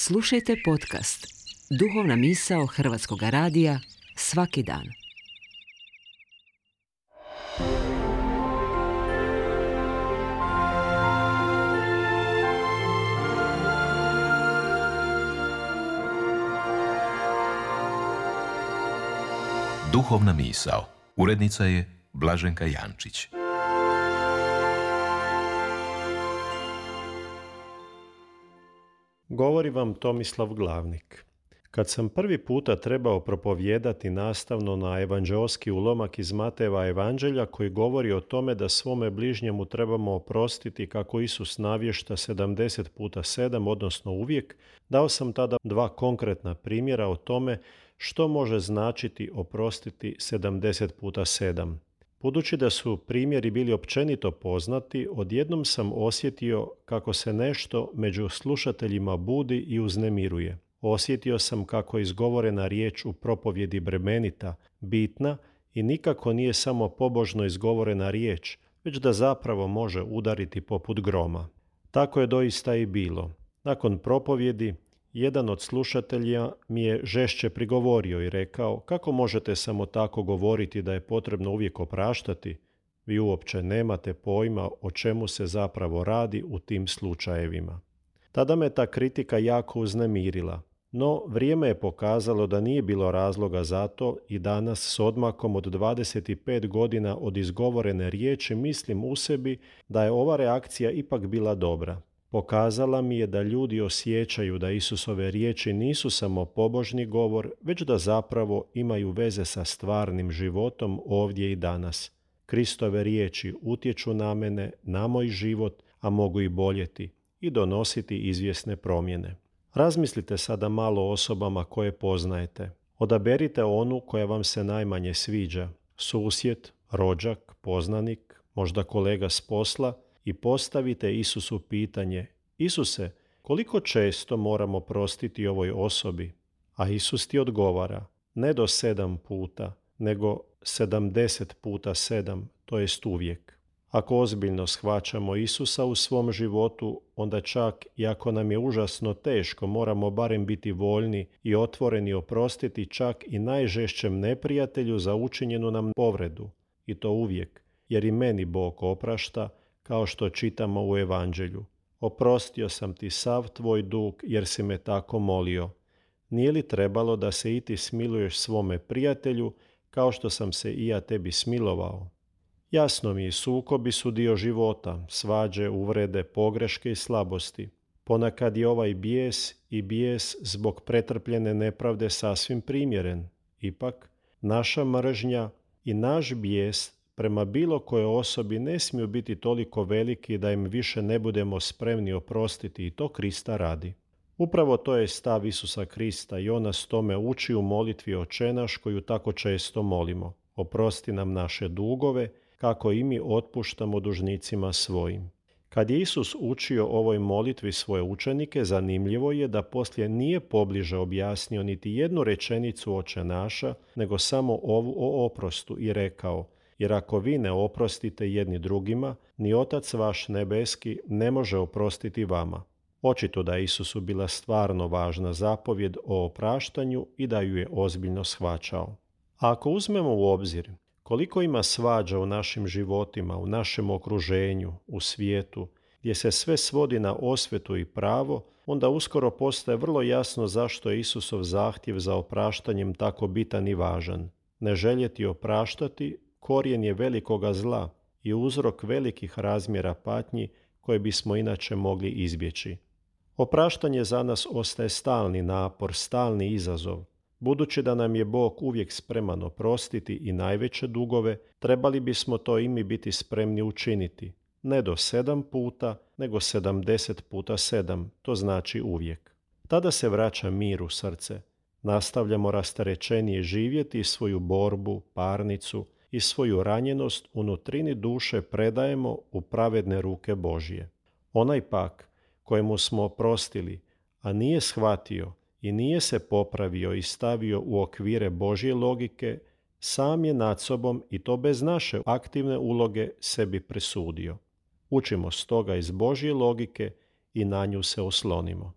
Slušajte podcast Duhovna misao Hrvatskog radija svaki dan. Duhovna misao. Urednica je Blaženka Jančić. Govori vam Tomislav Glavnik. Kad sam prvi puta trebao propovijedati nastavno na evanđeoski ulomak iz Matejeva evanđelja koji govori o tome da svome bližnjemu trebamo oprostiti kako Isus navješta 70 puta 7, odnosno uvijek, dao sam tada dva konkretna primjera o tome što može značiti oprostiti 70 puta 7. Budući da su primjeri bili općenito poznati, odjednom sam osjetio kako se nešto među slušateljima budi i uznemiruje. Osjetio sam kako je izgovorena riječ u propovjedi bremenita, bitna i nikako nije samo pobožno izgovorena riječ, već da zapravo može udariti poput groma. Tako je doista i bilo. Nakon propovjedi, jedan od slušatelja mi je žešće prigovorio i rekao: kako možete samo tako govoriti da je potrebno uvijek opraštati? Vi uopće nemate pojma o čemu se zapravo radi u tim slučajevima. Tada me ta kritika jako uznemirila, no vrijeme je pokazalo da nije bilo razloga za to i danas s odmakom od 25 godina od izgovorene riječi mislim u sebi da je ova reakcija ipak bila dobra. Pokazala mi je da ljudi osjećaju da Isusove riječi nisu samo pobožni govor, već da zapravo imaju veze sa stvarnim životom ovdje i danas. Kristove riječi utječu na mene, na moj život, a mogu i boljeti i donositi izvjesne promjene. Razmislite sada malo o osobama koje poznajete. Odaberite onu koja vam se najmanje sviđa, susjed, rođak, poznanik, možda kolega s posla, i postavite Isusu pitanje: Isuse, koliko često moramo prostiti ovoj osobi? A Isus ti odgovara: ne do 7 puta, nego 70 puta 7, to jest uvijek. Ako ozbiljno shvaćamo Isusa u svom životu, onda čak i ako nam je užasno teško, moramo barem biti voljni i otvoreni oprostiti čak i najžešćem neprijatelju za učinjenu nam povredu. I to uvijek, jer i meni Bog oprašta, kao što čitamo u evanđelju. Oprostio sam ti sav tvoj dug jer si me tako molio. Nije li trebalo da se i ti smiluješ svome prijatelju kao što sam se i ja tebi smilovao? Jasno mi je, sukobi su dio života, svađe, uvrede, pogreške i slabosti. Ponekad je ovaj bijes zbog pretrpljene nepravde sasvim primjeren. Ipak, naša mržnja i naš bijes prema bilo kojoj osobi ne smiju biti toliko veliki da im više ne budemo spremni oprostiti, i to Krista radi. Upravo to je stav Isusa Krista i on nas tome uči u molitvi Oče naš koju tako često molimo. Oprosti nam naše dugove, kako i mi otpuštamo dužnicima svojim. Kad je Isus učio ovoj molitvi svoje učenike, zanimljivo je da poslije nije pobliže objasnio niti jednu rečenicu Oče naša, nego samo ovu o oprostu i rekao: jer ako vi ne oprostite jedni drugima, ni Otac vaš nebeski ne može oprostiti vama. Očito da je Isusu bila stvarno važna zapovjed o opraštanju i da ju je ozbiljno shvaćao. A ako uzmemo u obzir koliko ima svađa u našim životima, u našem okruženju, u svijetu, gdje se sve svodi na osvetu i pravo, onda uskoro postaje vrlo jasno zašto je Isusov zahtjev za opraštanjem tako bitan i važan. Ne željeti opraštati korijen je velikoga zla i uzrok velikih razmjera patnji koje bismo inače mogli izbjeći. Opraštanje za nas ostaje stalni napor, stalni izazov. Budući da nam je Bog uvijek spreman oprostiti i najveće dugove, trebali bismo to i mi biti spremni učiniti. Ne do 7 puta, nego 70 puta 7, to znači uvijek. Tada se vraća mir u srce. Nastavljamo rasterećenije živjeti i svoju borbu, parnicu i svoju ranjenost u nutrini duše predajemo u pravedne ruke Božje. Onaj pak kojemu smo oprostili, a nije shvatio i nije se popravio i stavio u okvire Božje logike, sam je nad sobom, i to bez naše aktivne uloge, sebi presudio. Učimo stoga iz Božje logike i na nju se oslonimo.